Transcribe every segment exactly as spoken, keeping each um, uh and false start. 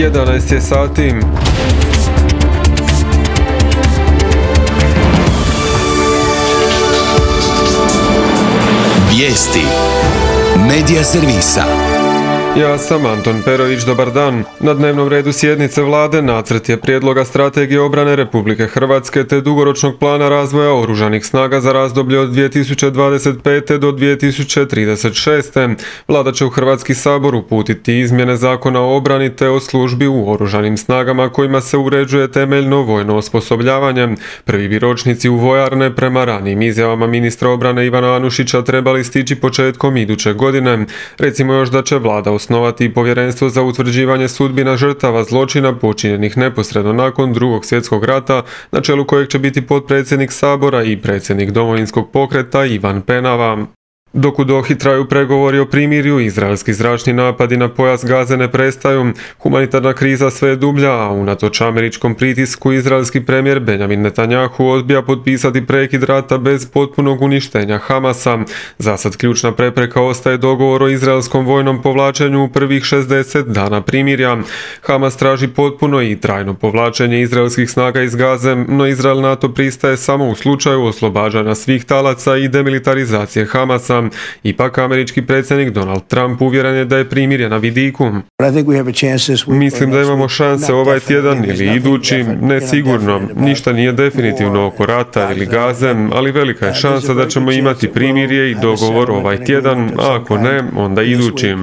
jedanaest je sati. Vijesti Medija servisa. Ja sam Anton Perović, dobar dan. Na dnevnom redu sjednice vlade nacrt je prijedloga strategije obrane Republike Hrvatske te dugoročnog plana razvoja oružanih snaga za razdoblje od dvije tisuće dvadeset pete do dvije tisuće trideset šeste. Vlada će u Hrvatski sabor uputiti izmjene Zakona o obrani te o službi u oružanim snagama kojima se uređuje temeljno vojno osposobljavanje. Prvi bi ročnici u vojarne prema ranijim izjavama ministra obrane Ivana Anušića trebali stići početkom iduće godine. Recimo još da će vlada osnovati povjerenstvo za utvrđivanje sudbina žrtava zločina počinjenih neposredno nakon Drugog svjetskog rata, na čelu kojeg će biti potpredsjednik Sabora i predsjednik Domovinskog pokreta Ivan Penava. Dok u Dohi traju pregovori o primirju, izraelski zračni napadi na pojas Gaze ne prestaju, humanitarna kriza sve je dublja, a unatoč američkom pritisku izraelski premijer Benjamin Netanjahu odbija potpisati prekid rata bez potpunog uništenja Hamasa. Zasad ključna prepreka ostaje dogovor o izraelskom vojnom povlačenju u prvih šezdeset dana primirja. Hamas traži potpuno i trajno povlačenje izraelskih snaga iz Gaze, no Izrael na to pristaje samo u slučaju oslobađanja svih talaca i demilitarizacije Hamasa. Ipak američki predsjednik Donald Trump uvjeren je da je primirje na vidiku. Mislim da imamo šanse ovaj tjedan ili idući, ne sigurno, ništa nije definitivno oko rata ili Gaze, ali velika je šansa da ćemo imati primirje i dogovor ovaj tjedan, a ako ne, onda idući.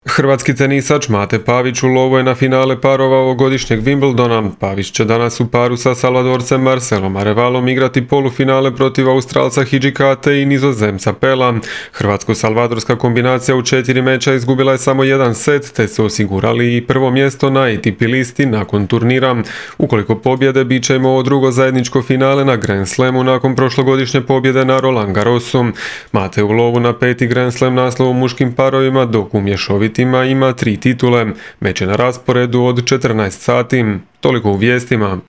Hrvatski tenisač Mate Pavić u lovu je na finale parova ovogodišnjeg Wimbledona. Pavić će danas u paru sa Salvadorcem Marcelom Arevalom igrati polufinale protiv Australca Hidžikate i Nizozemca Pela. Hrvatsko-salvadorska kombinacija u četiri meča izgubila je samo jedan set, te su osigurali i prvo mjesto na A T P listi nakon turnira. Ukoliko pobjede, bit će im ovo drugo zajedničko finale na Grand Slamu nakon prošlogodišnje pobjede na Roland Garrosu. Mate u lovu na peti Grand Slam naslov u muškim parovima, dok u mješovitima ima tri titule. Meč je na rasporedu od četrnaest sati. Toliko u vijestima.